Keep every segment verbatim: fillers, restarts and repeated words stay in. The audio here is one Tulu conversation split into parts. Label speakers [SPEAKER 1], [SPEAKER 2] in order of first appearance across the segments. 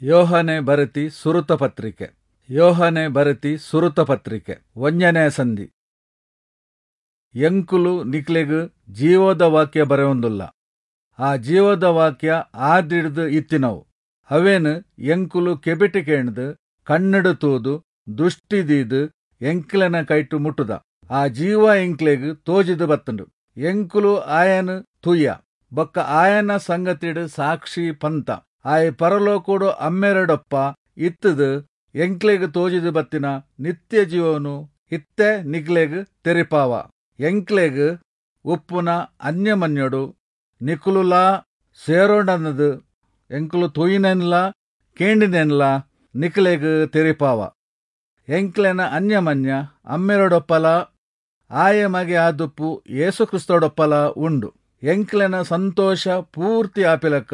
[SPEAKER 1] ಯೋಹನೆ ಬರೆತಿ ಸುರುತ ಪತ್ರಿಕೆ. ಯೋಹನೆ ಬರೆತಿ ಸುರುತ ಪತ್ರಿಕೆ ಒಂಜನೇ ಸಂಧಿ. ಎಂಕುಲು ನಿಕ್ಲೆಗ್ ಜೀವದ ವಾಕ್ಯ ಬರೆಯೊಂದುಲ್ಲ. ಆ ಜೀವದ ವಾಕ್ಯ ಆದಿಡ್ದ್ ಇತ್ತಿನವು. ಅವೇನ್ ಎಂಕುಲು ಕೆಬಿಟ್ ಕೇಂದ್ ಕಣ್ಣುಡು ತೂದು ದುಷ್ಟಿ ದೀದ್ ಎಂಕ್ಲೆನ ಕೈಟು ಮುಟ್ಟುದ. ಆ ಜೀವ ಎಂಕ್ಲೆಗ್ ತೋಜಿದ್ ಬತ್ತುಂಡು. ಎಂಕುಲು ಆಯನ್ ತೂಯ ಬೊಕ್ಕ ಆಯನ ಸಂಗತಿಡ್ ಸಾಕ್ಷಿ ಪಂತ. ಆಯೆ ಪರಲೋಕೊಡು ಅಮ್ಮೆರೆಡೊಪ್ಪ ಇತ್ತುದು ಎಂಕ್ಲೆಗ್ ತೋಜಿದ್ ಬತ್ತಿನ ನಿತ್ಯ ಜೀವನು ಇತ್ತೆ ನಿಕ್ಲೆಗ್ ತೆರಿಪಾವ. ಎಂಕ್ಲೆಗ್ ಉಪ್ಪುನ ಅನ್ಯಮನ್ಯೊಡು ನಿಕುಲುಲಾ ಸೇರೋಂಡಂದ್ ಎಂಕುಲು ತೂಯಿನೆನ್ಲಾ ಕೇಂಡಿನೆನ್ಲಾ ನಿಕ್ಲೆಗ್ ತೆರಿಪಾವ. ಎಂಕ್ಲೆನ ಅನ್ಯಮನ್ಯ ಅಮ್ಮೆರೊಡೊಪ್ಪಲ ಆಯೆ ಮಗೆ ಆದುಪ್ಪು ಯೇಸು ಕ್ರಿಸ್ತಡೊಪ್ಪಲ ಉಂಡು. ಎಂಕ್ಲೆನ ಸಂತೋಷ ಪೂರ್ತಿ ಆಪಿಲಕ್ಕ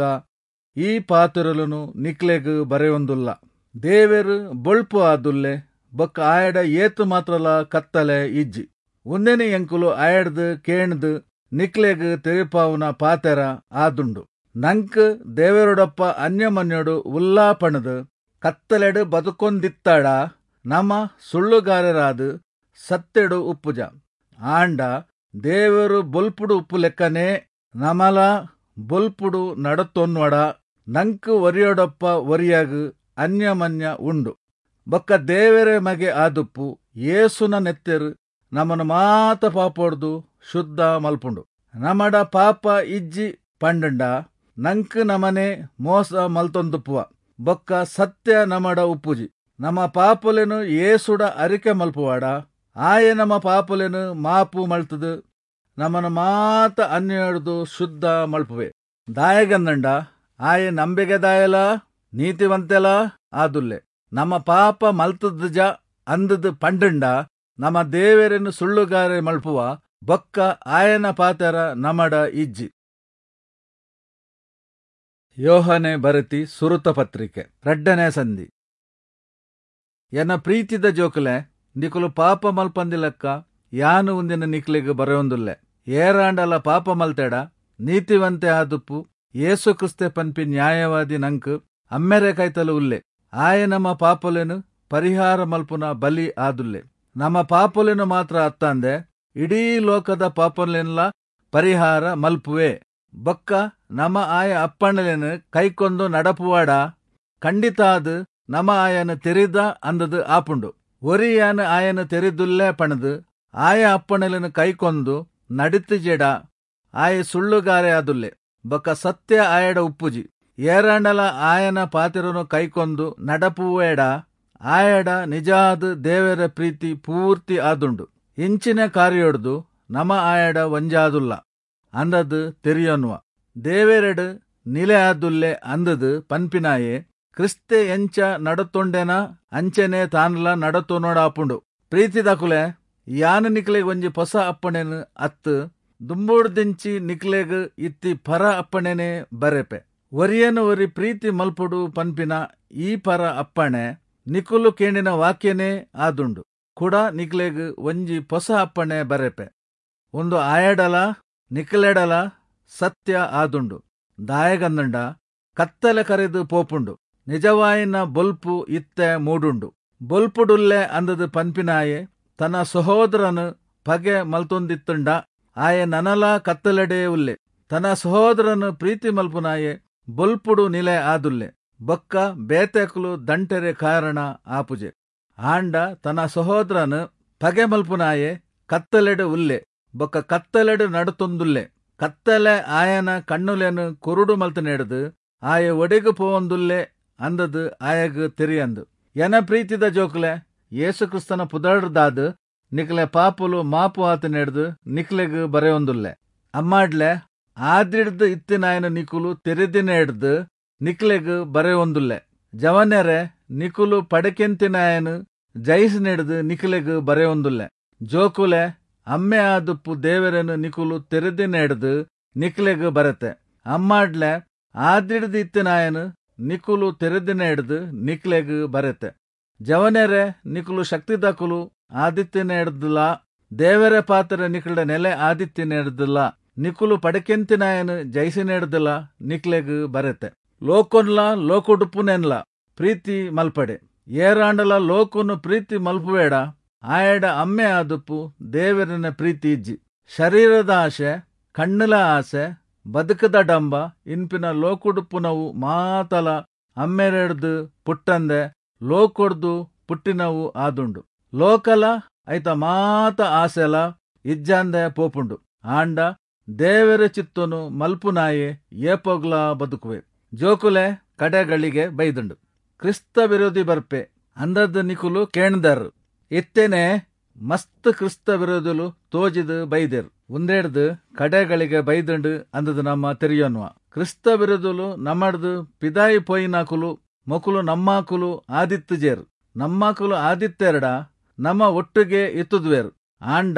[SPEAKER 1] ಈ ಪಾತೆರೊಲುನು ನಿಕ್ಲೆಗ್ ಬರೆಯೊಂದುಲ್ಲ. ದೇವೆರ್ ಬೊಳ್ಪು ಆದುಲ್ಲೆ ಬೊಕ್ಕ ಆಯಡ ಏತ್ ಮಾತ್ರಲಾ ಕತ್ತಲೆ ಇಜ್ಜಿ. ಉಂದೆನ್ ಎಂಕುಲು ಆಯಡ್ದ್ ಕೇಂದ್ ನಿಕ್ಲೆಗ್ ತೆರಿಪಾವುನ ಪಾತೆರ ಆದುಂಡು. ನಂಕ್ ದೇವೆರೊಡೊಪ್ಪ ಅನ್ಯಮನ್ಯೊಡು ಉಲ್ಲಾ ಪಂಡ್ದ್ ಕತ್ತಲೆಡ್ ಬದುಕೊಂದಿತ್ತಡ ನಮ ಸುಳ್ಳುಗಾರೆರಾದ್ ಸತ್ಯೊಡು ಉಪ್ಪುಜ. ಆಂಡ ದೇವೆರು ಬೊಲ್ಪುಡು ಉಪ್ಪುಲೆಕ್ಕನೇ ನಮಲ ಬೊಲ್ಪುಡು ನಡತೊನ್ವಡ ನಂಕ್ ಒರಿಯೊಡೊಪ್ಪ ಒರಿಯಗ್ ಅನ್ಯಮನ್ಯ ಉಂಡು. ಬೊಕ್ಕ ದೇವೆರೆ ಮಗೆ ಆದುಪ್ಪು ಯೇಸುನ ನೆತ್ತೆರ್ ನಮನ್ ಮಾತ ಪಾಪೊಡ್ದು ಶುದ್ಧ ಮಲ್ಪುಂಡು. ನಮಡ ಪಾಪ ಇಜ್ಜಿ ಪಂಡ್ಂಡ ನಂಕ್ ನಮನೇ ಮೋಸ ಮಲ್ತೊಂದುಪ್ಪುವ ಬೊಕ್ಕ ಸತ್ಯ ನಮಡ ಉಪ್ಪುಜಿ. ನಮ ಪಾಪೊಲೆನ್ ಯೇಸುಡ ಅರಿಕೆ ಮಲ್ಪುವಾಡ ಆಯೆ ನಮ ಪಾಪೊಲೆನ್ ಮಾಪು ಮಲ್ತುದು ನಮನ್ ಮಾತ ಅನ್ಯಾಯೊಡ್ದು ಶುದ್ಧ ಮಲ್ಪುವೆ. ದಾಯೆಗಂದ್ಂಡ ಆಯೆ ನಂಬಿಗೆದಾಯೆಲಾ ನೀತಿವಂತೆಲಾ ಆದುಲ್ಲೆ. ನಮ ಪಾಪ ಮಲ್ತುದುಜ ಅಂದ್ದ್ ಪಂಡ್ಂಡ ನಮ ದೇವೆರೆನ್ ಸುಳ್ಳುಗಾರೆ ಮಲ್ಪುವ ಬೊಕ್ಕ ಆಯನ ಪಾತೆರ ನಮಡ ಇಜ್ಜಿ. ಯೋಹನೆ ಬರೆತಿ ಸುರುತ ಪತ್ರಿಕೆ ರಡ್ಡನೇ ಸಂಧಿ. ಎನ್ನ ಪ್ರೀತಿದ ಜೋಕುಲೆ, ನಿಕುಲು ಪಾಪ ಮಲ್ಪಂದಿಲಕ್ಕ ಯಾನು ಉಂದೆನ್ ನಿಕ್ಲೆಗ್ ಬರೆಯೊಂದುಲ್ಲೆ. ಏರಾಂಡಲ ಪಾಪ ಮಲ್ತೆಡ ನೀತಿವಂತೆ ಆದುಪ್ಪು ಯೇಸು ಕ್ರಿಸ್ತೆ ಪನ್ಪಿ ನ್ಯಾಯವಾದಿ ನಂಕ್ ಅಮ್ಮೆರೆ ಕೈತಲ್ ಉಲ್ಲೆ. ಆಯೆ ನಮ್ಮ ಪಾಪೊಲೆನ್ ಪರಿಹಾರ ಮಲ್ಪುನ ಬಲಿ ಆದುಲ್ಲೆ. ನಮ್ಮ ಪಾಪೊಲೆನ್ ಮಾತ್ರ ಅತ್ತಂದೆ ಇಡೀ ಲೋಕದ ಪಾಪೊಲೆನ್ಲಾ ಪರಿಹಾರ ಮಲ್ಪುವೆ. ಬೊಕ್ಕ ನಮ ಆಯ ಅಪ್ಪಣೆಲೆನ್ ಕೈಕೊಂದು ನಡಪುವಾಡ ಖಂಡಿತಾದ್ ನಮ ಆಯನ ತೆರಿದ ಅಂದದ್ ಆಪುಂಡು. ಒರಿಯಾನ್ ಆಯನ ತೆರಿದುಲ್ಲೆ ಪಣದು ಆಯ ಅಪ್ಪಣೆಲೆನ್ ಕೈಕೊಂದು ನಡಿತಿಜೆಡ ಆಯೆ ಸುಳ್ಳುಗಾರೆ ಆದುಲ್ಲೆ ಬೊಕ್ಕ ಸತ್ಯ ಆಯಡ ಉಪ್ಪುಜಿ. ಏರಾಂಡಲ ಆಯನ ಪಾತೆರನು ಕೈಕೊಂದು ನಡಪುವೇಡ ಆಯಡ ನಿಜಾದ್ ದೇವರ ಪ್ರೀತಿ ಪೂರ್ತಿ ಆದುಂಡು. ಇಂಚಿನ ಕಾರ್ಯೊಡ್ದು ನಮ ಆಯಡ ಒಂಜಾದುಲ್ಲ ಅಂದದ್ ತೆರಿಯೊನ್ವ. ದೇವೆರೆಡ್ ನಿಲೆ ಆದುಲ್ಲೆ ಅಂದದ್ ಪನ್ಪಿನಾಯೆ ಕ್ರಿಸ್ತೆ ಎಂಚ ನಡತೊಂಡೆನ ಅಂಚೆನೆ ತಾನ್ಲ ನಡತೊನೊಡಾಪುಂಡು. ಪ್ರೀತಿದಕುಲೆ, ಯಾನ್ ನಿಕ್ಲೆಗ್ ಒಂಜಿ ಪೊಸ ಅಪ್ಪಣೆನ್ ಅತ್ತ್ ದುಂಬುಡ್ದಿಂಚಿ ನಿಕ್ಲೆಗ್ ಇತ್ತಿ ಪರ ಅಪ್ಪಣೆನೆ ಬರೆಪೆ. ಒರಿಯನ್ ಒರಿ ಪ್ರೀತಿ ಮಲ್ಪೊಡು ಪನ್ಪಿನ ಈ ಪರ ಅಪ್ಪಣೆ ನಿಕುಲು ಕೇಂಡಿನ ವಾಕ್ಯನೇ ಆದುಂಡು. ಕುಡ ನಿಕ್ಲೆಗ್ ಒಂಜಿ ಪೊಸ ಅಪ್ಪಣೆ ಬರೆಪೆ. ಉಂದು ಆಯಡಲ ನಿಕ್ಲೆಡಲ ಸತ್ಯ ಆದುಂಡು. ದಾಯೆಗಂದ್ಂಡ ಕತ್ತಲೆ ಕರೆದು ಪೋಪುಂಡು, ನಿಜವಾಯಿನ ಬೊಲ್ಪು ಇತ್ತೆ ಮೂಡುಂಡು. ಬೊಲ್ಪುಡುಲ್ಲೆ ಅಂದದ್ ಪನ್ಪಿನಾಯೆ ತನ್ನ ಸಹೋದರನು ಪಗೆ ಮಲ್ತೊಂದಿತ್ತುಂಡ ಆಯೆ ನನಲ ಕತ್ತಲೆಡೇ ಉಲ್ಲೆ. ತನ್ನ ಸಹೋದರನು ಪ್ರೀತಿ ಮಲ್ಪುನಾಯೆ ಬೊಲ್ಪುಡು ನಿಲೆ ಆದುಲ್ಲೆ ಬೊಕ್ಕ ಬೇತೆಕುಲು ದಂಟೆರೆ ಕಾರಣ ಆಪುಜೆ. ಆಂಡ ತನ್ನ ಸಹೋದರನು ಪಗೆ ಮಲ್ಪುನಾಯೆ ಕತ್ತಲೆಡ್ ಉಲ್ಲೆ ಬೊಕ್ಕ ಕತ್ತಲೆಡ್ ನಡತೊಂದುಲ್ಲೆ. ಕತ್ತಲೆ ಆಯನ ಕಣ್ಣುಲೆನ್ ಕುರುಡು ಮಲ್ತನೆಡ್ದ್ ಆಯೆ ಒಡೆಗ್ ಪೋವೊಂದುಲ್ಲೆ ಅಂದದ್ ಆಯಗ್ ತೆರಿಯಂದ್. ಎನ ಪ್ರೀತಿದ ಜೋಕುಲೆ, ಯೇಸು ಕ್ರಿಸ್ತನ ಪುದರ್ಡ್ದಾದ್ ನಿಕ್ಲೆ ಪಾಪೊಲು ಮಾಪು ಆತಿನೆಡ್ದ್ ನಿಕ್ಲೆಗ್ ಬರೆಯೊಂದುಲ್ಲೆ. ಅಮ್ಮಾಡ್ಲೆ, ಆದಿಡ್ದ್ ಇತ್ತಿನಾಯನ್ ನಿಕುಲು ತೆರಿದಿನೆಡ್ದ್ ನಿಕ್ಲೆಗ್ ಬರೆಯೊಂದುಲ್ಲೆ. ಜವನೆರೆ, ನಿಕುಲು ಪಡೆಕೆಂತಿನಾಯನ್ ಜಯಿಸಿನೆಡ್ದ್ ನಿಕ್ಲೆಗ್ ಬರೆಯೊಂದುಲ್ಲೆ. ಜೋಕುಲೆ, ಅಮ್ಮೆ ಆದುಪ್ಪು ದೇವೆರೆನ್ ನಿಕುಲು ತೆರಿದಿನೆಡ್ದ್ ನಿಕ್ಲೆಗ್ ಬರೆತೆ. ಅಮ್ಮಾಡ್ಲೆ, ಆದಿಡ್ದ್ ಇತ್ತಿನಾಯನ್ ನಿಕುಲು ತೆರಿದಿನೆಡ್ದ್ ನಿಕ್ಲೆಗ್ ಬರೆತೆ. ಜವನೆರೆ, ನಿಕುಲು ಶಕ್ತಿದಕುಲು ಆದಿತ್ತಿನೆಡ್ದ್ಲಾ ದೇವರ ಪಾತ್ರ ನಿಕ್ಲೆಡ ನೆಲೆ ಆದಿತ್ತಿನೆಡ್ದ್ಲಾ ನಿಕುಲು ಪಡೆಕೆಂತಿನಾಯನ್ ಜಯಿಸಿನೆಡ್ದ್ಲಾ ನಿಕ್ಲೆಗ್ ಬರೆತೆ. ಲೋಕೊನ್ಲಾ ಲೋಕೊಡುಪ್ಪುನೆನ್ಲಾ ಪ್ರೀತಿ ಮಲ್ಪಡೆ. ಏರಾಂಡಲ ಲೋಕನು ಪ್ರೀತಿ ಮಲ್ಪುವೇಡ ಆಯಡ ಅಮ್ಮೆ ಆದುಪ್ಪು ದೇವರನ ಪ್ರೀತಿ ಇಜ್ಜಿ. ಶರೀರದ ಆಸೆ, ಕಣ್ಣುಲ ಆಸೆ, ಬದುಕದ ಡಂಬ ಇನ್ಪಿನ ಲೋಕುಡುಪ್ಪುನವು ಮಾತಲ ಅಮ್ಮೆರೆಡ್ದು ಪುಟ್ಟಂದೆ ಲೋಕೊಡ್ದು ಪುಟ್ಟಿನವು ಆದುಂಡು. ಲೋಕಲ ಐತ ಮಾತ ಆಸೆಲ ಇಜ್ಜಾಂದೆ ಪೋಪುಂಡು. ಆಂಡ ದೇವರ ಚಿತ್ತನು ಮಲ್ಪುನಾಯೆ ಏಪೋಗ್ಲಾ ಬದುಕುವೆ. ಜೋಕುಲೆ ಕಡೆಗಳಿಗೆ ಬೈದುಂಡು. ಕ್ರಿಸ್ತ ವಿರೋಧಿ ಬರ್ಪೆ ಅಂದದ್ ನಿಕುಲು ಕೇಣ್ದರ್. ಇತ್ತೆನೆ ಮಸ್ತ್ ಕ್ರಿಸ್ತ ವಿರೋಧಿಲು ತೋಜಿದ್ ಬೈದೆರ್. ಉಂದೆಡ್ದ್ ಕಡೆಗಳಿಗೆ ಬೈದುಂಡು ಅಂದದ್ ನಮ ತೆರಿಯೊನ್ವ. ಕ್ರಿಸ್ತ ವಿರೋಧಿಲು ನಮಡ್ದ್ ಪಿದಾಯಿ ಪೋಯಿನಾಕುಲು, ಮೊಕುಲು ನಮ್ಮಾಕುಲು ಆದಿತ್ತ್ಜೆರ್. ನಮ್ಮಾಕುಲು ಆದಿತ್ತೆರ್ಡ ನಮ ಒಟ್ಟುಗೇ ಇತ್ತುದ್ವೆರ್. ಆಂಡ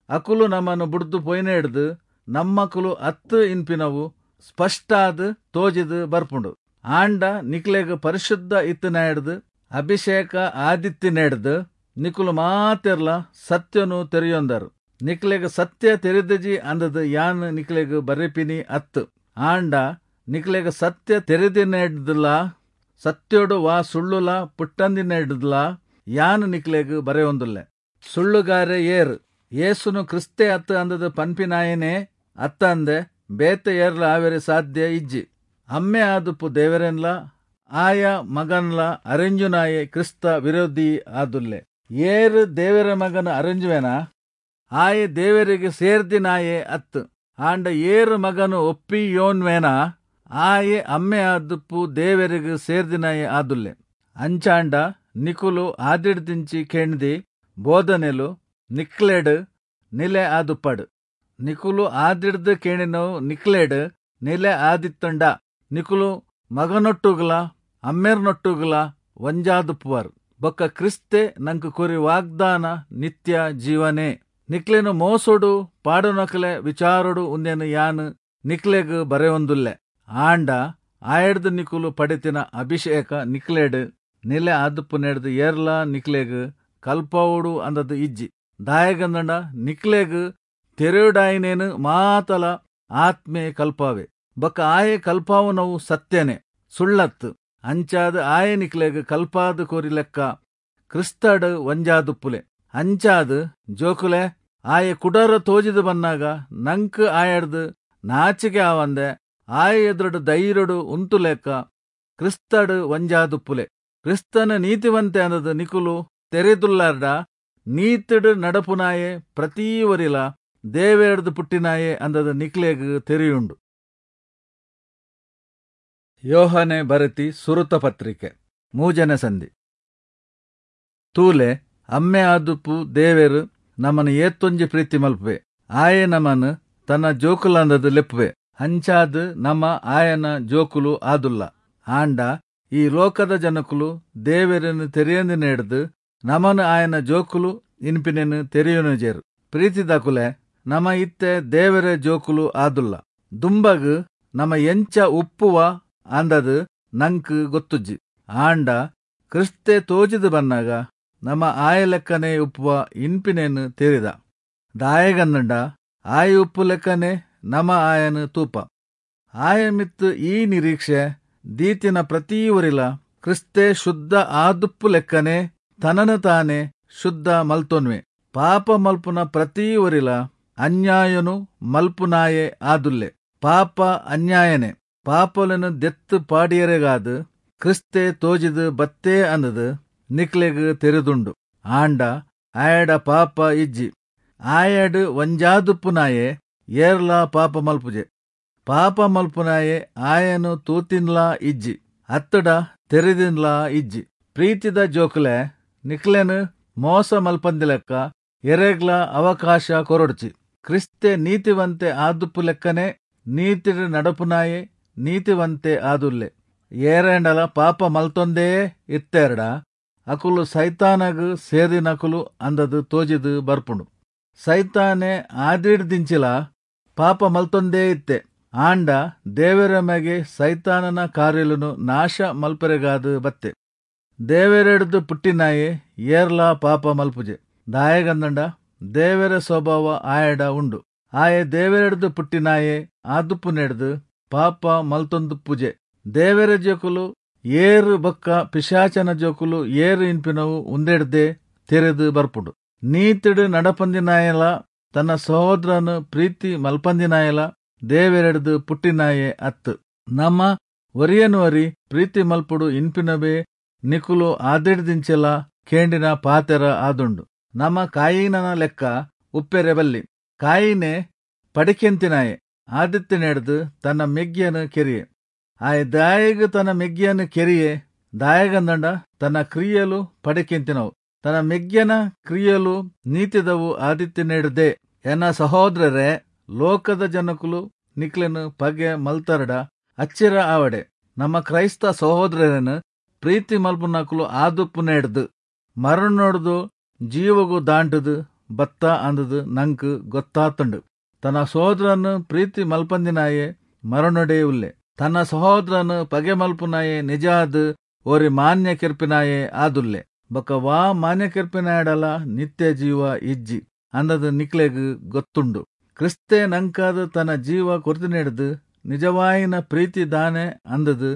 [SPEAKER 1] ಅಕುಲು ನಮನ್ ಬುಡ್ದು ಪೋಯಿನೆಡ್ದ್ ನಮ್ಮಕುಲು ಅತ್ತ್ ಇನ್ಪಿನವು ಸ್ಪಷ್ಟಾದ್ ತೋಜಿದ್ ಬರ್ಪುಂಡು. ಆಂಡ ನಿಕ್ಲೆಗ್ ಪರಿಶುದ್ಧ ಇತ್ತಿನಾಯಡ್ದ್ ಅಭಿಷೇಕ ಆದಿತ್ತಿನೆಡ್ದ್ ನಿಕುಲು ಮಾತೆರ್ಲಾ ಸತ್ಯೊನು ತೆರಿಯೊಂದರ್. ನಿಕ್ಲೆಗ್ ಸತ್ಯ ತೆರಿದಿಜಿ ಅಂದದ್ ಯಾನ್ ನಿಕ್ಲೆಗ್ ಬರೆಪಿನಿ ಅತ್ತ್. ಆಂಡ ನಿಕ್ಲೆಗ್ ಸತ್ಯ ತೆರಿದಿನೆಡ್ದ್ಲಾ ಸತ್ಯೊಡು ವಾ ಸುಳ್ಳುಲಾ ಪುಟ್ಟಂದಿನೆಡ್ದ್ಲಾ ಯಾನ್ ನಿಕ್ಲೆಗ್ ಬರೆಯೊಂದುಲ್ಲೆ. ಸುಳ್ಳುಗಾರೆ ಏರ್? ಯೇಸುನು ಕ್ರಿಸ್ತೆ ಅತ್ತ್ ಅಂದದ್ ಪನ್ಪಿನಾಯೆನೇ ಅತ್ತಂದೆ ಬೇತೆ ಏರ್ಲಾ ಆವೆರೆ ಸಾಧ್ಯ ಇಜ್ಜಿ. ಅಮ್ಮೆ ಆದುಪ್ಪು ದೇವೆರೆನ್ಲಾ ಆಯ ಮಗನ್ಲಾ ಅರೆಂಜುನಾಯೆ ಕ್ರಿಸ್ತ ವಿರೋಧಿ ಆದುಲ್ಲೆ. ಏರ್ ದೇವೆರ ಮಗನ್ ಅರೆಂಜುವೆನಾ ಆಯೆ ದೇವೆರಿಗೆ ಸೇರ್ದಿನಾಯೆ ಅತ್ತ್. ಆಂಡ ಏರ್ ಮಗನು ಒಪ್ಪಿಯೋನ್ವೆನಾ ಆಯೆ ಅಮ್ಮೆ ಆದುಪ್ಪು ದೇವೆರಿಗೆ ಸೇರ್ದಿನಾಯೆ ಆದುಲ್ಲೆ. ಅಂಚಾಂಡ ನಿಕುಲು ಆದಿಡ್ದಿಂಚಿ ಕೇಂದಿ ಬೋಧನೆಲು ನಿಕ್ಲೆಡ್ ನಿಲೆ ಆದುಪ್ಪಡ್. ನಿಕುಲು ಆದಿಡ್ದ್ ಕೇಣಿನವು ನಿಕ್ಲೆಡ್ ನಿಲೆ ಆದಿತ್ತುಂಡ ನಿಕುಲು ಮಗನೊಟ್ಟುಗುಲಾ ಅಮ್ಮೆರ್ನೊಟ್ಟುಗುಲಾ ಒಂಜಾದುಪ್ಪುವರ್. ಬೊಕ್ಕ ಕ್ರಿಸ್ತೆ ನಂಕ್ ಕೊರಿ ವಾಗ್ದಾನ ನಿತ್ಯ ಜೀವನೇ. ನಿಕ್ಲೆನ್ ಮೋಸೊಡು ಪಾಡುನಕಲೆ ವಿಚಾರೊಡು ಉಂದೆನ್ ಯಾನ್ ನಿಕ್ಲೆಗ್ ಬರೆಯೊಂದುಲ್ಲೆ. ಆಂಡ ಆಯಡ್ದ್ ನಿಕುಲು ಪಡೆತಿನ ಅಭಿಷೇಕ ನಿಕ್ಲೆಡ್ ನಿಲೆ ಆದುಪ್ಪುನೆಡ್ದ್ ಏರ್ಲಾ ನಿಕ್ಲೆಗ್ ಕಲ್ಪಾವೊಡು ಅಂದದ್ ಇಜ್ಜಿ. ದಾಯೆಗಂದ್ಂಡ ನಿಕ್ಲೆಗ್ ತೆರೆಯೊಡಾಯಿನೇನ್ ಮಾತಲ ಆತ್ಮೆ ಕಲ್ಪಾವೆ. ಬೊಕ್ಕ ಆಯೆ ಕಲ್ಪಾವುನವು ಸತ್ಯನೇ, ಸುಳ್ಳತ್ತ್. ಅಂಚಾದ್ ಆಯೆ ನಿಕ್ಲೆಗ್ ಕಲ್ಪಾದ್ ಕೊರಿ ಲೆಕ್ಕ ಕ್ರಿಸ್ತಡ್ ಒಂಜಾದುಪ್ಪುಲೆ. ಅಂಚಾದ್ ಜೋಕುಲೆ, ಆಯೆ ಕುಡರ ತೋಜಿದ್ ಬನ್ನಾಗ ನಂಕ್ ಆಯಡ್ದ್ ನಾಚಿಕೆ ಆವಂದೆ ಆಯ ಎದುರುಡು ಧೈರ್ಯೊಡು ಉಂತುಲೆಕ್ಕ ಕ್ರಿಸ್ತಡ್ ಒಂಜಾದುಪ್ಪುಲೆ. ಕ್ರಿಸ್ತನ ನೀತಿವಂತೆ ಅಂದದ್ ನಿಕುಲು ತೆರಿದುಲ್ಲಾರ್ಡ ನೀತಿಡ್ ನಡಪುನಾಯೆ ಪ್ರತಿ ಒರಿಲ ದೇವೆರ್ಡ್ದ್ ಪುಟ್ಟಿನಾಯೆ ಅಂದದ್ ನಿಕ್ಲೆಗ್ ತೆರಿಯುಂಡು. ಯೋಹಾನೆ ಬರೆತಿ ಸುರುತ ಪತ್ರಿಕೆ ಮೂಜನೆ ಸಂಧಿ. ತೂಲೆ, ಅಮ್ಮೆ ಆದುಪ್ಪು ದೇವೆರ್ ನಮನ್ ಏತೊಂಜಿ ಪ್ರೀತಿ ಮಲ್ಪುವೆ. ಆಯೆ ನಮನ್ ತನ್ನ ಜೋಕುಲಂದದ್ ಲೆಪ್ಪುವೆ. ಅಂಚಾದ್ ನಮ ಆಯನ ಜೋಕುಲು ಆದುಲ್ಲ. ಆಂಡ ಈ ಲೋಕದ ಜನಕುಲು ದೇವೆರೆನ್ ತೆರಿಯಂದಿನೆಡ್ದ್ ನಮನ್ ಆಯನ ಜೋಕುಲು ಇನ್ಪಿನೆನ್ ತೆರಿಯೊನುಜೆರ್. ಪ್ರೀತಿದಕುಲೆ, ನಮ ಇತ್ತೆ ದೇವೆರೆ ಜೋಕುಲು ಆದುಲ್ಲ. ದುಂಬಗ್ ನಮ ಎಂಚ ಉಪ್ಪುವ ಅಂದದ್ ನಂಕ್ ಗೊತ್ತುಜ್ಜಿ. ಆಂಡ ಕ್ರಿಸ್ತೆ ತೋಜಿದ್ ಬನ್ನಾಗ ನಮ ಆಯ ಲೆಕ್ಕನೆ ಉಪ್ಪುವ ಇನ್ಪಿನೆನ್ ತೆರಿದ. ದಾಯೆಗಂದ್ಂಡ ಆಯ ಉಪ್ಪು ಲೆಕ್ಕನೆ ನಮ ಆಯನ್ ತೂಪ. ಆಯ ಮಿತ್ತ್ ಈ ನಿರೀಕ್ಷೆ ದೀತಿನ ಪ್ರತಿ ಒರಿಲ ಕ್ರಿಸ್ತೆ ಶುದ್ಧ ಆದುಪ್ಪು ಲೆಕ್ಕನೆ ತನನ ತಾನೆ ಶುದ್ಧ ಮಲ್ತೊನ್ವೆ. ಪಾಪ ಮಲ್ಪುನ ಪ್ರತಿ ಒರಿಲ ಅನ್ಯಾಯನು ಮಲ್ಪುನಾಯೆ ಆದುಲ್ಲೆ. ಪಾಪ ಅನ್ಯಾಯನೆ. ಪಾಪೊಲೆನ್ ದೆತ್ತ್ ಪಾಡಿಯರೆಗಾದ್ ಕ್ರಿಸ್ತೆ ತೋಜಿದ್ ಬತ್ತೇ ಅಂದದ್ ನಿಕ್ಲೆಗ್ ತೆರಿದುಂಡು. ಆಂಡ ಆಯಡ ಪಾಪ ಇಜ್ಜಿ. ಆಯಡ್ ಒಂಜಾದುಪ್ಪುನಾಯೆ ಏರ್ಲಾ ಪಾಪ ಮಲ್ಪುಜೆ. ಪಾಪ ಮಲ್ಪುನಾಯೆ ಆಯನು ತೂತಿನ್ಲಾ ಇಜ್ಜಿ, ಅತ್ತಡ ತೆರಿದಿನ್ಲಾ ಇಜ್ಜಿ. ಪ್ರೀತಿದ ಜೋಕುಲೆ, ನಿಕ್ಲೆನ್ ಮೋಸ ಮಲ್ಪಂದಿಲೆಕ್ಕ ಎರೆಗ್ಲಾ ಅವಕಾಶ ಕೊರೊಡ್ಚಿ. ಕ್ರಿಸ್ತೆ ನೀತಿವಂತೆ ಆದುಪ್ಪು ಲೆಕ್ಕನೆ ನೀತಿಡ್ ನಡಪುನಾಯೆ ನೀತಿವಂತೆ ಆದುಲ್ಲೆ. ಏರೇಂಡಲ ಪಾಪ ಮಲ್ತೊಂದೇ ಇತ್ತೆರ್ಡ ಅಕುಲು ಸೈತಾನಗ್ ಸೇರಿನಕುಲು ಅಂದದ್ ತೋಜಿದ್ ಬರ್ಪುಂಡು. ಸೈತಾನೆ ಆದಿಡ್ದಿಂಚಿಲ ಪಾಪ ಮಲ್ತೊಂದೇ ಇತ್ತೆ. ಆಂಡ ದೇವೆರ ಮಗೆ ಸೈತಾನನ ಕಾರ್ಯಲುನು ನಾಶ ಮಲ್ಪೆರೆಗಾದ್ ಬತ್ತೆ. ದೇವೆರೆಡ್ದ್ ಪುಟ್ಟಿನಾಯೆ ಏರ್ಲಾ ಪಾಪ ಮಲ್ಪುಜೆ. ದಾಯೆಗಂದ್ಂಡ ದೇವೆರ ಸ್ವಭಾವ ಆಯಡ ಉಂಡು. ಆಯೆ ದೇವೆರೆಡ್ದ್ ಪುಟ್ಟಿನಾಯೆ ಆದುಪ್ಪುನೆಡ್ದ್ ಪಾಪ ಮಲ್ತೊಂದುಪ್ಪುಜೆ. ದೇವೆರ ಜೋಕುಲು ಏರು ಬೊಕ್ಕ ಪಿಶಾಚನ ಜೋಕುಲು ಏರು ಇನ್ಪಿನವು ಉಂದೆಡ್ದೆ ತೆರೆದು ಬರ್ಪುಂಡು. ನೀತಿಡ್ ನಡಪಂದಿನಾಯಲ ತನ್ನ ಸಹೋದರನು ಪ್ರೀತಿ ಮಲ್ಪಂದಿನಾಯಲ ದೇವೆರೆಡ್ದ್ ಪುಟ್ಟಿನಾಯೆ ಅತ್ತ್. ನಮ ಒರಿಯನ್ ಒರಿ ಪ್ರೀತಿ ಮಲ್ಪೊಡು ಇನ್ಪಿನವೇ ನಿಕುಲು ಆದಿಡ್ದಿಂಚಲ ಕೇಂಡಿನ ಪಾತೆರ ಆದುಂಡು. ನಮ ಕಾಯಿನನ ಲೆಕ್ಕ ಉಪ್ಪೆರೆ ಬಲ್ಲಿ. ಕಾಯಿನೆ ಪಡಿಕೆಂತಿನಾಯೆ ಆದಿತ್ತಿನೆಡ್ದ್ ತನ್ನ ಮೆಗ್ಯನ್ ಕೆರಿಯೆ. ಆಯೆ ದಾಯೆಗ್ ತನ್ನ ಮೆಗ್ಯನ್ ಕೆರಿಯೆ? ದಾಯೆಗಂದ್ಂಡ ತನ್ನ ಕ್ರಿಯೆಲು ಪಡಿಕೆಂತಿನವು, ತನ್ನ ಮೆಗ್ಯನ ಕ್ರಿಯೆಲು ನೀತಿದವು ಆದಿತ್ತಿನೆಡ್ದೇ. ಎನ್ನ ಸಹೋದರರೇ, ಲೋಕದ ಜನಕುಲು ನಿಕ್ಲೆನ್ ಪಗೆ ಮಲ್ತರ್ಡ ಅಚ್ಚಿರ ಆವಡೆ. ನಮ್ಮ ಕ್ರೈಸ್ತ ಸಹೋದರರೆನ್ ಪ್ರೀತಿ ಮಲ್ಪುನಕುಲು ಆದುಪ್ಪುನೆಡ್ದ್ ಮರಣೊಡ್ದು ಜೀವೊಗು ದಾಂಟುದು ಬತ್ತ ಅಂದ್ದ್ ನಂಕ್ ಗೊತ್ತಾತುಂಡು. ತನ್ನ ಸಹೋದರನ್ ಪ್ರೀತಿ ಮಲ್ಪಂದಿನಾಯೆ ಮರಣೊಡೇ ಉಲ್ಲೆ. ತನ್ನ ಸಹೋದರನ್ ಪಗೆ ಮಲ್ಪುನಾಯೆ ನಿಜಾದ್ ಒರಿ ಮಾನ್ಯ ಕೆರ್ಪಿನಾಯೆ ಆದುಲ್ಲೆ. ಬೊಕ್ಕ ವಾ ಮಾನ್ಯ ಕೆರ್ಪಿನಾಯಡಲ ನಿತ್ಯ ಜೀವ ಇಜ್ಜಿ ಅಂದ್ದ್ ನಿಕ್ಲೆಗ್ ಗೊತ್ತುಂಡು. ಕ್ರಿಸ್ತೆ ನಂಕಾದ್ ತನ ಜೀವ ಕೊರ್ತಿನೆಡ್ದ್ ನಿಜವಾಯಿನ ಪ್ರೀತಿ ದಾನೆ ಅಂದ್ದ್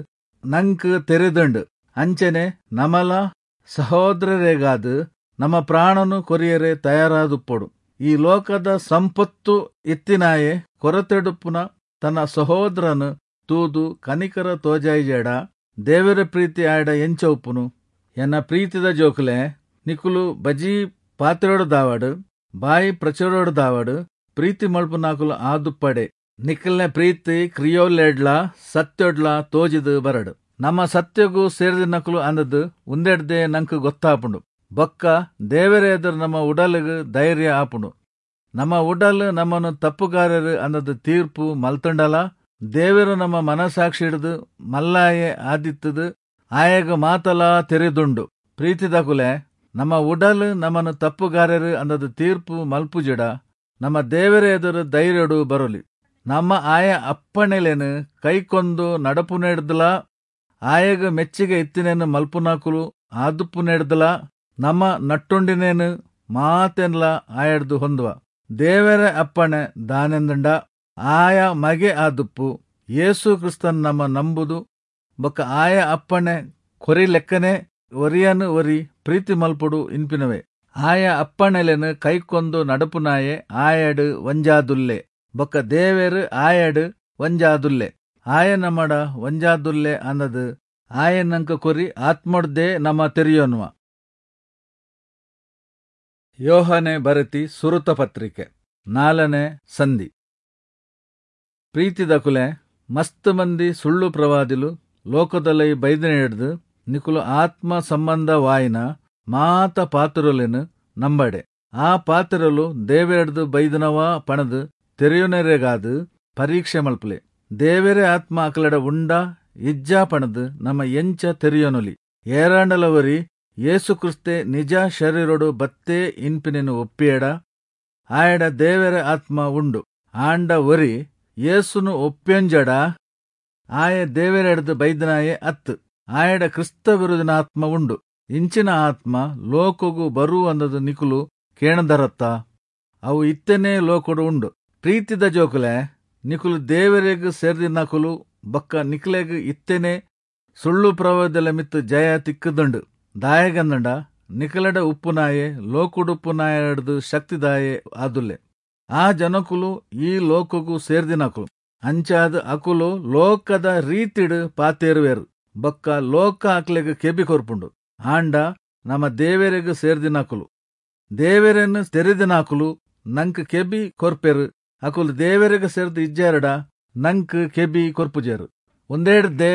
[SPEAKER 1] ನಂಕ್ ತೆರಿದುಂಡು. ಅಂಚನೆ ನಮಲ ಸಹೋದರೆರೆಗಾದ್ ನಮ ಪ್ರಾಣನು ಕೊರಿಯೆರೆ ತಯಾರಾದುಪ್ಪೊಡು. ಈ ಲೋಕದ ಸಂಪೊತ್ತು ಇತ್ತಿನಾಯೆ ಕೊರತೆಡುಪ್ಪುನ ತನ್ನ ಸಹೋದರನ್ ತೂದು ಕನಿಕರ ತೋಜಾಯಿಜೆಡ ದೇವರ ಪ್ರೀತಿ ಆಯಡ ಎಂಚ ಉಪ್ಪುನು? ಎನ್ನ ಪ್ರೀತಿದ ಜೋಕುಲೆ, ನಿಕುಲು ಬಜೀ ಪಾತೆರೊಡುದಾವಡ್ ಬಾಯಿ ಪ್ರಚುರೊಡುದಾವಡ್ ಪ್ರೀತಿ ಮಲ್ಪುನಾಕುಲು ಆದುಪ್ಪಡೆ. ನಿಕಲ್ನ ಪ್ರೀತಿ ಕ್ರಿಯೋಲೆಡ್ಲ ಸತ್ಯೊಡ್ಲ ತೋಜಿದ್ ಬರಡ್. ನಮ್ಮ ಸತ್ಯೊಗು ಸೇರ್ದಿನಕುಲು ಅಂದ್ದ್ ಉಂದೆಡ್ದೇ ನಂಕ್ ಗೊತ್ತಾಪುಂಡು. ಬೊಕ್ಕ ದೇವೆರೆ ಎದುರು ನಮ್ಮ ಉಡಲ್ಗ್ ಧೈರ್ಯ ಆಪುಂಡು. ನಮ್ಮ ಉಡಲ್ ನಮ್ಮನ್ನು ತಪ್ಪುಗಾರರು ಅಂದ್ದ್ ತೀರ್ಪು ಮಲ್ತುಂಡಲ ದೇವೆರು ನಮ್ಮ ಮನಸಾಕ್ಷಿಡ್ದ್ ಮಲ್ಲಾಯೆ ಆದಿತ್ತುದು ಆಯಗ್ ಮಾತಲಾ ತೆರಿದುಂಡು. ಪ್ರೀತಿದಕುಲೆ, ನಮ್ಮ ಉಡಲ್ ನಮ್ಮನ್ನು ತಪ್ಪುಗಾರರು ಅಂದ್ದ್ ತೀರ್ಪು ಮಲ್ಪುಜಿಡ ನಮ್ಮ ದೇವೆರೆ ಎದುರು ಧೈರ್ಯೊಡು ಬರೊಲಿ. ನಮ್ಮ ಆಯ ಅಪ್ಪಣೆಲೆನ್ ಕೈಕೊಂದು ನಡಪುನೆಡ್ದ್ಲಾ ಆಯಗ್ ಮೆಚ್ಚಿಗೆ ಇತ್ತಿನೆನ್ ಮಲ್ಪುನಕುಲು ಆದುಪ್ಪುನೆಡ್ದ್ಲಾ ನಮ್ಮ ನಟ್ಟೊಂಡಿನೇನು ಮಾತೆನ್ಲಾ ಆಯಡ್ದ್ ಹೊಂದುವ. ದೇವರ ಅಪ್ಪಣೆ ದಾನೆಂದುಂಡ ಆಯ ಮಗೆ ಆದುಪ್ಪು ಯೇಸು ಕ್ರಿಸ್ತನ್ ನಮ್ಮ ನಂಬುದು ಬೊಕ್ಕ ಆಯ ಅಪ್ಪಣೆ ಕೊರಿ ಲೆಕ್ಕನೆ ಒರಿಯನ್ ಒರಿ ಪ್ರೀತಿ ಮಲ್ಪೊಡು ಇನ್ಪಿನವೇ. ಆಯ ಅಪ್ಪಣೆಲೆನ್ ಕೈಕೊಂದು ನಡಪುನಾಯೆ ಆಯಡ್ ಒಂಜಾದುಲ್ಲೆ, ಬೊಕ್ಕ ದೇವೆರ್ ಆಯಡ್ ಒಂಜಾದುಲ್ಲೆ. ಆಯ ನಮಡ ಒಂಜಾದುಲ್ಲೆ ಅಂದದ್ ಆಯ ನಂಕ ಕೊರಿ ಆತ್ಮೊಡ್ದೇ ನಮ ತೆರಿಯೊನುವ. ಯೋಹಾನೆ ಬರೆತಿ ಸುರುತ ಪತ್ರಿಕೆ ನಾಲನೆ ಸಂಧಿ. ಪ್ರೀತಿದಕುಲೆ, ಮಸ್ತ್ ಮಂದಿ ಸುಳ್ಳು ಪ್ರವಾದಿಲು ಲೋಕದಲೈ ಬೈದಿನೆಡ್ದ್ ನಿಕುಲು ಆತ್ಮ ಸಂಬಂಧವಾಯಿನ ಮಾತ ಪಾತ್ರೊಲೆನ್ ನಂಬಡೆ. ಆ ಪಾತ್ರೊಲು ದೇವೆರೆಡ್ದ್ ಬೈದಿನವಾ ಪಣದ್ ತೆರಿಯೊನೆರೆಗಾದ್ ಪರೀಕ್ಷೆ ಮಲ್ಪುಲೆ. ದೇವೆರೆ ಆತ್ಮ ಅಕಲೆಡ ಉಂಡಾ ಇಜ್ಜಾ ಪಣದ್ ನಮ ಎಂಚ ತೆರಿಯೊನೊಲಿ? ಏರಾಂಡಲ ಒರಿ ಯೇಸು ಕ್ರಿಸ್ತೆ ನಿಜ ಶರೀರೊಡು ಬತ್ತೇ ಇನ್ಪಿನೆನ್ ಒಪ್ಪಿಯೆಡ ಆಯಡ ದೇವೆರೆ ಆತ್ಮ ಉಂಡು. ಆಂಡ ಒರಿ ಯೇಸುನು ಒಪ್ಪಿಯೊಂಜೆಡ ಆಯೆ ದೇವೆರೆಡ್ದ್ ಬೈದಿನಾಯೆ ಅತ್ತ್, ಆಯಡ ಕ್ರಿಸ್ತ ವಿರೋಧಿನ ಆತ್ಮ ಉಂಡು. ಇಂಚಿನ ಆತ್ಮ ಲೋಕೊಗು ಬರು ಅಂದದ್ ನಿಕುಲು ಕೇಣದರತ್ತ? ಅವು ಇತ್ತೆನೇ ಲೋಕೊಡು ಉಂಡು. ಪ್ರೀತಿದ ಜೋಕುಲೆ, ನಿಕುಲು ದೇವೆರೆಗ್ ಸೇರ್ದಿನಕುಲು ಬೊಕ್ಕ ನಿಕ್ಲೆಗ್ ಇತ್ತೆನೇ ಸುಳ್ಳು ಪ್ರವಾದಿల ಮಿತ್ತ್ ಜಯ ತಿಕ್ಕುದುಂಡು. ದಾಯೆಗಂದ್ಂಡ ನಿಕಲೆಡ ಉಪ್ಪುನಾಯೆ ಲೋಕೊಡುಪ್ಪುನಾಯಡ್ದ್ ಶಕ್ತಿದಾಯೆ ಆದುಲ್ಲೆ. ಆ ಜನಕುಲು ಈ ಲೋಕೊಗು ಸೇರ್ದಿನಕುಲು. ಅಂಚಾದ್ ಅಕುಲು ಲೋಕದ ರೀತಿಡ್ ಪಾತೆರುವೆರ್ ಬೊಕ್ಕ ಲೋಕ ಅಕ್ಲೆಗ್ ಕೆಬಿ ಕೊರ್ಪುಂಡು. ಆಂಡ ನಮ ದೇವೆರೆಗ್ ಸೇರ್ದಿನಕುಲು. ದೇವೆರೆನ್ ತೆರಿದಿನಕುಲು ನಂಕ್ ಕೆಬಿ ಕೊರ್ಪೆರ್. ಅಕುಲು ದೇವೆರೆಗ್ ಸೇರ್ದ್ ಇಜ್ಜೆರ್ಡ ನಂಕ್ ಕೆಬಿ ಕೊರ್ಪುಜೆರ್. ಉಂದೆಡ್ದೇ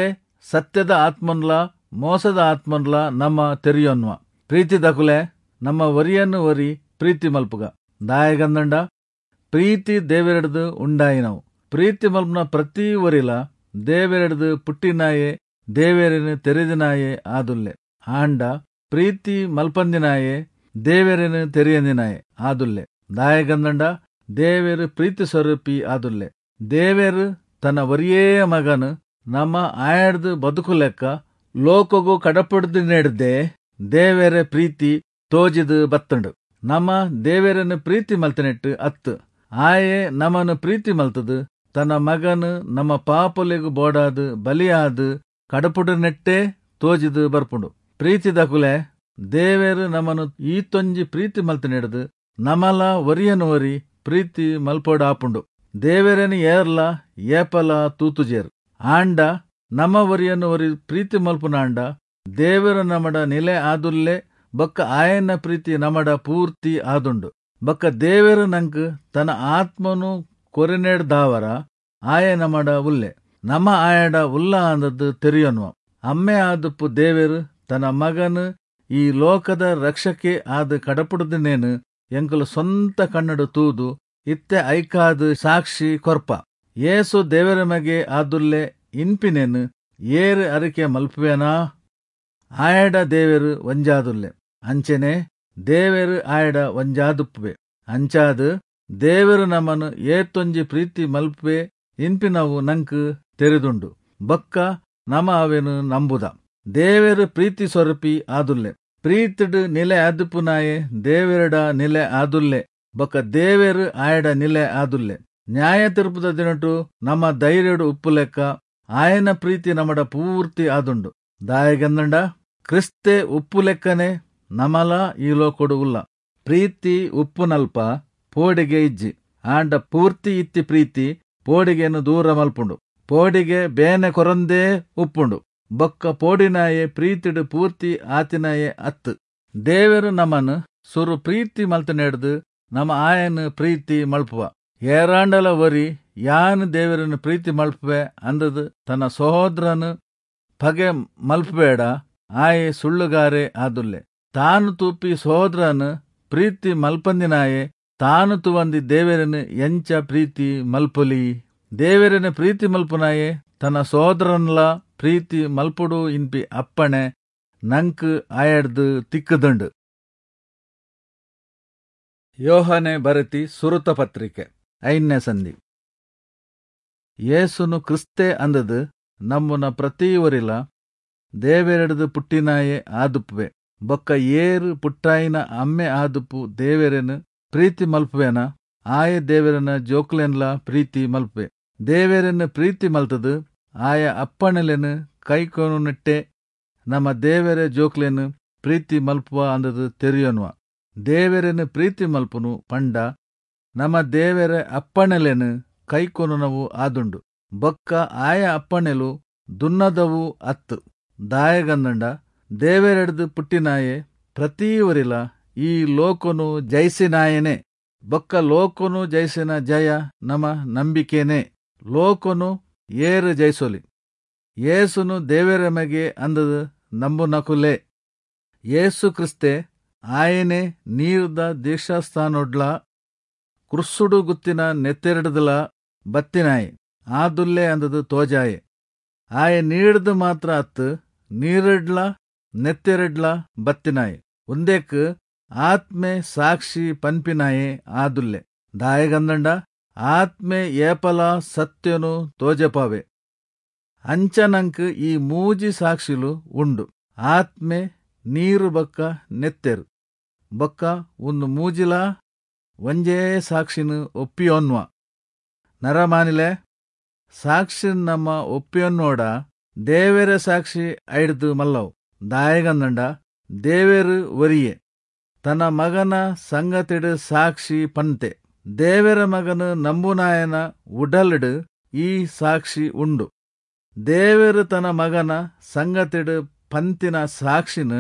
[SPEAKER 1] ಸತ್ಯದ ಆತ್ಮನ್ಲ ಮೋಸದ ಆತ್ಮನ್ಲ ನಮ ತೆರಿಯೊನ್ವ. ಪ್ರೀತಿದಕುಲೆ, ನಮ್ಮ ಒರಿಯನ್ ಒರಿ ಪ್ರೀತಿ ಮಲ್ಪುಗ. ದಾಯೆಗಂದ್ಂಡ ಪ್ರೀತಿ ದೇವೆರೆಡ್ದ್ ಉಂಡಾಯಿನವು. ಪ್ರೀತಿ ಮಲ್ಪುನ ಪ್ರತಿ ಒರಿಲ ದೇವೆರೆಡ್ದ್ ಪುಟ್ಟಿನಾಯೆ, ದೇವೆರೆನ್ ತೆರಿದಿನಾಯೆ ಆದುಲ್ಲೆ. ಆಂಡ ಪ್ರೀತಿ ಮಲ್ಪಂದಿನಾಯೆ ದೇವೆರೆನ್ ತೆರಿಯಂದಿನಾಯೆ ಆದುಲ್ಲೆ. ದಾಯೆಗಂದ್ಂಡ ದೇವೆರ್ ಪ್ರೀತಿ ಸ್ವರೂಪಿ ಆದುಲ್ಲೆ. ದೇವೆರ್ ತನ್ನ ಒರಿಯೇ ಮಗನ್ ನಮ ಆಯಡ್ದ್ ಬದುಕುಲೆಕ್ಕ ಲೋಕೊಗು ಕಡಪುಡ್ದಿನೆಡ್ದೇ ದೇವೆರೆ ಪ್ರೀತಿ ತೋಜಿದ್ ಬತ್ತುಂಡು. ನಮ ದೇವೆರೆನ್ ಪ್ರೀತಿ ಮಲ್ತಿನೆಟ್ ಅತ್ತ್, ಆಯೆ ನಮನ್ ಪ್ರೀತಿ ಮಲ್ತುದು ತನ್ನ ಮಗನ್ ನಮ್ಮ ಪಾಪೊಲೆಗ್ ಬೋಡಾದ್ ಬಲಿಯಾದ್ ಕಡಪುಡುನೆಟ್ಟೇ ತೋಜಿದ್ ಬರ್ಪುಂಡು. ಪ್ರೀತಿದಕುಲೆ, ದೇವೆರ್ ನಮನ್ ಈತೊಂಜಿ ಪ್ರೀತಿ ಮಲ್ತಿನೆಡ್ದ್ ನಮಲ ಒರಿಯನ್ ಒರಿ ಪ್ರೀತಿ ಮಲ್ಪೊಡಾಪುಂಡು. ದೇವೆರೆನ್ ಏರ್ಲಾ ಏಪಲಾ ತೂತುಜೆರ್. ಆಂಡ ನಮ ಒರಿಯನ್ ಒರಿ ಪ್ರೀತಿ ಮಲ್ಪುನಾಂಡ ದೇವೆರ್ ನಮಡ ನಿಲೆ ಆದುಲ್ಲೆ ಬೊಕ್ಕ ಆಯನ ಪ್ರೀತಿ ನಮಡ ಪೂರ್ತಿ ಆದುಂಡು. ಬೊಕ್ಕ ದೇವೆರ್ ನಂಕ್ ತನ ಆತ್ಮನು ಕೊರಿನೆಡ್ದಾವರ ಆಯೆ ನಮಡ ಉಲ್ಲೆ. ನಮ ಆಯಡ ಉಲ್ಲ ಅಂದ್ದ್ ತೆರಿಯೊನ್ವ. ಅಮ್ಮೆ ಆದುಪ್ಪು ದೇವೆರ್ ತನ ಮಗನ್ ಈ ಲೋಕದ ರಕ್ಷಕೆ ಆದ್ ಕಡಪುಡುದಿನೆನ್ ಎಂಕುಲು ಸ್ವಂತ ಕಣ್ಣ್ಡ್ ತೂದು ಇತ್ತೆ ಐಕಾದ್ ಸಾಕ್ಷಿ ಕೊರ್ಪ. ಯೇಸು ದೇವೆರೆ ಮಗೆ ಆದುಲ್ಲೆ ಇನ್ಪಿನೆನ್ ಏರ್ ಅರಿಕೆ ಮಲ್ಪುವೆನಾ ಆಯಡ ದೇವೆರ್ ಒಂಜಾದುಲ್ಲೆ, ಅಂಚೆನೇ ದೇವೆರ್ ಆಯಡ ಒಂಜಾದುಪ್ಪುವೆ. ಅಂಚಾದ್ ದೇವೆರ್ ನಮನ್ ಏತೊಂಜಿ ಪ್ರೀತಿ ಮಲ್ಪುವೆ ಇನ್ಪಿನವು ನಂಕ್ ತೆರಿದುಂಡು ಬೊಕ್ಕ ನಮ ಅವೆನ್ ನಂಬುದ. ದೇವೆರ್ ಪ್ರೀತಿ ಸ್ವರೂಪಿ ಆದುಲ್ಲೆ. ಪ್ರೀತಿಡ್ ನಿಲೆ ಆದುಪ್ಪುನಾಯೆ ದೇವೆರೆಡ ನಿಲೆ ಆದುಲ್ಲೆ ಬೊಕ್ಕ ದೇವೆರ್ ಆಯಡ ನಿಲೆ ಆದುಲ್ಲೆ. ನ್ಯಾಯತೀರ್ಪುದ ದಿನೊಟು ನಮ ಧೈರ್ಯೊಡು ಉಪ್ಪುಲೆಕ್ಕ ಆಯನ ಪ್ರೀತಿ ನಮಡ ಪೂರ್ತಿ ಆದುಂಡು. ದಾಯೆಗಂದ್ಂಡ ಕ್ರಿಸ್ತೆ ಉಪ್ಪುಲೆಕ್ಕನೆ ನಮಲಾ ಈ ಲೋಕೊಡು ಉಲ್ಲ. ಪ್ರೀತಿ ಉಪ್ಪುನಲ್ಪ ಪೋಡಿಗೆ ಇಜ್ಜಿ, ಆಂಡ ಪೂರ್ತಿ ಇತ್ತಿ ಪ್ರೀತಿ ಪೋಡಿಗೆನ್ ದೂರ ಮಲ್ಪುಂಡು. ಪೋಡಿಗೆ ಬೇನೆ ಕೊರಂದೇ ಉಪ್ಪುಂಡು ಬೊಕ್ಕ ಪೋಡಿನಾಯೆ ಪ್ರೀತಿಡ್ ಪೂರ್ತಿ ಆತಿನಾಯೆ ಅತ್ತ್. ದೇವೆರ್ ನಮನ್ ಸುರು ಪ್ರೀತಿ ಮಲ್ತಿನೆಡ್ದ್ ನಮ ಆಯನ್ ಪ್ರೀತಿ ಮಲ್ಪುವ. ಏರಾಂಡಲ ಒರಿ ಯಾನ್ ದೇವೆರೆನ್ ಪ್ರೀತಿ ಮಲ್ಪುವೆ ಅಂದ್ದ್ ತನ ಸಹೋದ್ರನ್ ಪಗೆ ಮಲ್ಪುವೆಡ ಆಯೆ ಸುಳ್ಳುಗಾರೆ ಆದುಲ್ಲೆ. ತಾನ್ ತೂಪಿ ಸಹೋದ್ರನ್ ಪ್ರೀತಿ ಮಲ್ಪಂದಿನಾಯೆ ತಾನು ತೂವಂದಿ ದೇವೆರೆನ್ ಎಂಚ ಪ್ರೀತಿ ಮಲ್ಪೊಲಿ? ದೇವೆರೆನ್ ಪ್ರೀತಿ ಮಲ್ಪುನಾಯೆ ತನ ಸಹೋದ್ರನ್ಲಾ ಪ್ರೀತಿ ಮಲ್ಪೊಡು ಇನ್ಪಿ ಅಪ್ಪಣೆ ನಂಕ್ ಆಯಡ್ದ್ ತಿಕ್ಕುದುಂಡು. ಯೋಹಾನೆ ಬರೆತಿ ಸುರುತ ಪತ್ರಿಕೆ ಐನ್ಯ ಸಂಧಿ. ಯೇಸುನು ಕ್ರಿಸ್ತೆ ಅಂದ್ದ್ ನಂಬುನ ಪ್ರತಿ ಒರಿಲ ದೇವೆರೆಡ್ದ್ ಪುಟ್ಟಿನಾಯೆ ಆದುಪ್ಪುವೆ. ಬೊಕ್ಕ ಏರ್ ಪುಟ್ಟಾಯಿನ ಅಮ್ಮೆ ಆದುಪ್ಪು ದೇವೆರೆನ್ ಪ್ರೀತಿ ಮಲ್ಪುವೆನಾ ಆಯೆ ದೇವೆರೆನ ಜೋಕುಲೆನ್ಲಾ ಪ್ರೀತಿ ಮಲ್ಪುವೆ. ದೇವೆರೆನ್ ಪ್ರೀತಿ ಮಲ್ತ್ದ್ ಆಯ ಅಪ್ಪಣೆಲೆನ್ ಕೈಕೊನುನೆಟ್ಟೆ ನಮ ದೇವೆರೆ ಜೋಕುಲೆನ್ ಪ್ರೀತಿ ಮಲ್ಪುವ ಅಂದ್ದ್ ತೆರಿಯೊನ್ವ. ದೇವೆರೆನ್ ಪ್ರೀತಿ ಮಲ್ಪುನು ಪಂಡ ನಮ ದೇವೆರೆ ಅಪ್ಪಣೆಲೆನ್ ಕೈಕೊನುನವು ಆದುಂಡು. ಬೊಕ್ಕ ಆಯ ಅಪ್ಪಣೆಲು ದುನ್ನದವು ಅತ್ತ್. ದಾಯೆಗಂದ್ಂಡ ದೇವೆರೆಡ್ದ್ ಪುಟ್ಟಿನಾಯೆ ಪ್ರತಿ ಒರಿಲ ಈ ಲೋಕೊನು ಜಯಿಸಿನಾಯೆನೇ. ಬೊಕ್ಕ ಲೋಕೊನು ಜಯಿಸಿನ ಜಯ ನಮ ನಂಬಿಕೆನೇ. ಲೋಕೊನು ಏರ್ ಜಯಿಸೊಲಿ? ಯೇಸುನು ದೇವೆರೆ ಮಗೆ ಅಂದ್ದ್ ನಂಬುನಕುಲೇ. ಯೇಸು ಕ್ರಿಸ್ತೆ ಆಯೆನೇ ನೀರ್ದ ದೀಕ್ಷಾಸ್ನಾನೊಡ್ಲಾ ಕ್ರುಸ್ಸುಡು ಗುತ್ತಿನ ನೆತ್ತೆರ್ಡ್ದ್ಲಾ ಬತ್ತಿನಾಯೆ ಆದುಲ್ಲೆ ಅಂದ್ದ್ ತೋಜಾಯೆ. ಆಯೆ ನೀರ್ಡ್ದ್ ಮಾತ್ರ ಅತ್ತ್, ನೀರ್ಡ್ಲಾ ನೆತ್ತೆರ್ಡ್ಲಾ ಬತ್ತಿನಾಯೆ. ಉಂದೆಕ್ ಆತ್ಮೆ ಸಾಕ್ಷಿ ಪನ್ಪಿನಾಯೆ ಆದುಲ್ಲೆ. ದಾಯೆಗಂದ್ಂಡ ಆತ್ಮೆ ಏಪಲಾ ಸತ್ಯೊನು ತೋಜಪಾವೆ. ಅಂಚ ನಂಕ್ ಈ ಮೂಜಿ ಸಾಕ್ಷಿಲು ಉಂಡು, ಆತ್ಮೆ, ನೀರು ಬೊಕ್ಕ ನೆತ್ತೆರ್. ಬೊಕ್ಕ ಉಂದು ಮೂಜಿಲಾ ಒಂಜೇ ಸಾಕ್ಷಿನ್ ಒಪ್ಪಿಯೊನ್ವ. ನರಮಾನಿಲೆ ಸಾಕ್ಷಿನ್ ನಮ ಒಪ್ಪಿಯೊನ್ನೋಡ ದೇವೆರೆ ಸಾಕ್ಷಿ ಐಡ್ದ್ ಮಲ್ಲವು. ದಾಯೆಗಂದ್ಂಡ ದೇವೆರ್ ಒರಿಯೆ ತನ ಮಗನ ಸಂಗತಿಡ್ ಸಾಕ್ಷಿ ಪನ್ತೆ. ದೇವೆರ ಮಗನ್ ನಂಬುನಾಯನ ಉಡಲ್ಡ್ ಈ ಸಾಕ್ಷಿ ಉಂಡು. ದೇವೆರ್ ತನ ಮಗನ ಸಂಗತಿಡ್ ಪಂತಿನ ಸಾಕ್ಷಿನ್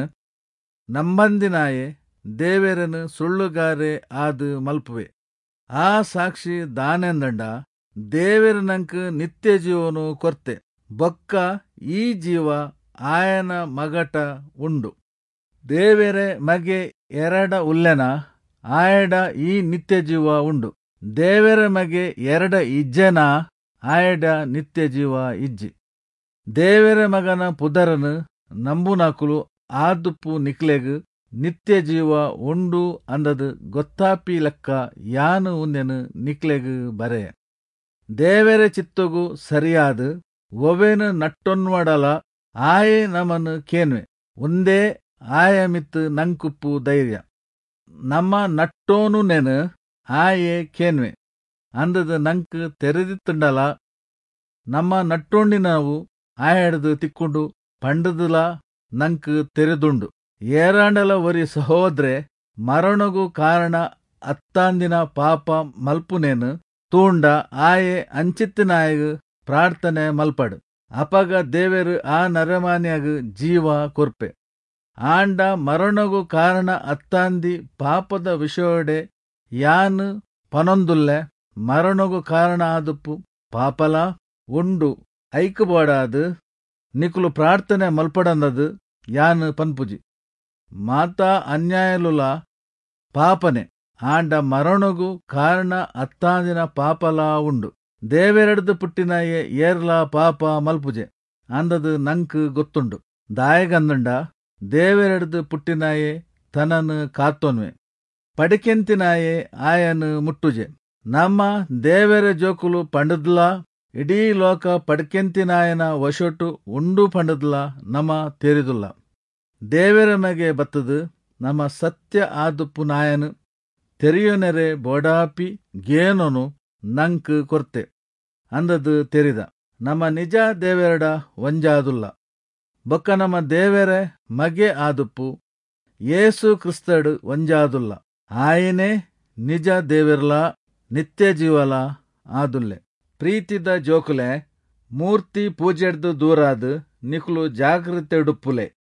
[SPEAKER 1] ನಂಬಂದಿನಾಯೆ ದೇವೆರೆನ್ ಸುಳ್ಳುಗಾರೆ ಆದ್ ಮಲ್ಪುವೆ. ಆ ಸಾಕ್ಷಿ ದಾನೆಂದ್ಂಡ ದೇವೆರ್ ನಂಕ್ ನಿತ್ಯ ಜೀವೊನು ಕೊರ್ತೆ, ಬೊಕ್ಕ ಈ ಜೀವ ಆಯನ ಮಗಟ ಉಂಡು. ದೇವೆರೆ ಮಗೆ ಏರೆಡ ಉಲ್ಲೆನಾ ಆಯಡ ಈ ನಿತ್ಯ ಜೀವ ಉಂಡು. ದೇವೆರೆ ಮಗೆ ಏರೆಡ ಇಜ್ಜೆನಾ ಆಯಡ ನಿತ್ಯ ಜೀವ ಇಜ್ಜಿ. ದೇವೆರೆ ಮಗನ ಪುದರನ್ ನಂಬುನಕುಲು ಆದುಪ್ಪು ನಿಕ್ಲೆಗ್ ನಿತ್ಯ ಜೀವ ಉಂಡು ಅಂದದ್ ಗೊತ್ತಾಪಿ ಲೆಕ್ಕ ಯಾನ್ ಉಂದೆನ್ ನಿಕ್ಲೆಗ್ ಬರೆಯೆ. ದೇವೆರೆ ಚಿತ್ತೊಗು ಸರಿಯಾದ್ ಒವೆನ್ ನಟ್ಟೊನ್ವಡಲ ಆಯೆ ನಮನ್ ಕೇನ್ವೆ. ಉಂದೇ ಆಯ ಮಿತ್ತ್ ನಂಕುಪ್ಪು ಧೈರ್ಯ. ನಮ ನಟ್ಟೊನುನೆನ್ ಆಯೆ ಕೇನ್ವೆ ಅಂದದ್ ನಂಕ್ ತೆರೆದಿತ್ತುಂಡಲ ನಮ ನಟ್ಟೊಂಡಿನವು ಆಯಡ್ದ್ ತಿಕ್ಕುಂಡು ಪಂಡುದುಲಾ ನಂಕ್ ತೆರಿದುಂಡು. ಏರಾಂಡಲ ಒರಿ ಸಹೋದ್ರೆ ಮರಣೊಗು ಕಾರಣ ಅತ್ತಾಂದಿನ ಪಾಪ ಮಲ್ಪುನೆನ್ ತೂಂಡ ಆಯೆ ಅಂಚಿತ್ತಿನಾಯಗ್ ಪ್ರಾರ್ಥನೆ ಮಲ್ಪಡ್. ಅಪಗ ದೇವೆರ್ ಆ ನರಮಾನ್ಯಗ್ ಜೀವ ಕೊರ್ಪೆ. ಆಂಡ ಮರಣೊಗು ಕಾರಣ ಅತ್ತಾಂದಿ ಪಾಪದ ವಿಷಯೊಡೇ ಯಾನ್ ಪನೊಂದುಲ್ಲೆ, ಮರಣೊಗು ಕಾರಣ ಆದುಪ್ಪು ಪಾಪಲಾ ಉಂಡು. ಐಕ್ ಬೋಡಾದ್ ನಿಕುಲು ಪ್ರಾರ್ಥನೆ ಮಲ್ಪಡಂದ್ದ್ ಯಾನ್ ಪನ್ಪುಜಿ. ಮಾತ ಅನ್ಯಾಯೊಲುಲಾ ಪಾಪನೇ, ಆಂಡ ಮರಣೊಗು ಕಾರಣ ಅತ್ತಾಂದಿನ ಪಾಪಲಾ ಉಂಡು. ದೇವೆರೆಡ್ದ್ ಪುಟ್ಟಿನಾಯೆ ಏರ್ಲಾ ಪಾಪ ಮಲ್ಪುಜೆ ಅಂದ್ದ್ ನಂಕ್ ಗೊತ್ತುಂಡು. ದಾಯೆಗಂದ್ಂಡ ದೇವೆರೆಡ್ದ್ ಪುಟ್ಟಿನಾಯೆ ತನನ್ ಕಾತೊನ್ವೆ. ಪಡಿಕೆಂತಿನಾಯೆ ಆಯನ್ ಮುಟ್ಟುಜೆ. ನಮ ದೇವೆರೆ ಜೋಕುಲು ಪಂಡ್ದ್ಲಾ ಇಡೀ ಲೋಕ ಪಡ್ಕೆಂತಿನಾಯನ ವಶೊಟು ಉಂಡು ಪಂಡ್ದ್ಲಾ ನಮ ತೆರಿದುಲ್ಲ. ದೇವೆರೆ ಮಗೆ ಬತ್ತ್ದ್ ನಮ ಸತ್ಯ ಆದುಪ್ಪುನಾಯನ್ ತೆರಿಯೊನೆರೆ ಬೋಡಾಪಿ ಗೇನೊನು ನಂಕ್ ಕೊರ್ತೆ ಅಂದ್ದ್ ತೆರಿದ. ನಮ ನಿಜ ದೇವೆರೆಡ ಒಂಜಾದುಲ್ಲ. ಬೊಕ್ಕ ನಮ ದೇವೆರೆ ಮಗೆ ಆದುಪ್ಪು ಯೇಸು ಕ್ರಿಸ್ತಡ್ ಒಂಜಾದುಲ್ಲ. ಆಯೆನೇ ನಿಜ ದೇವೆರ್ಲಾ ನಿತ್ಯಜೀವಲಾ ಆದುಲ್ಲೆ. ಪ್ರೀತಿದ ಜೋಕುಲೇ, ಮೂರ್ತಿ ಪೂಜೆಡ್ದ್ ದೂರಾದ್ ನಿಕುಲು ಜಾಗ್ರತೆಡುಪ್ಪುಲೆ.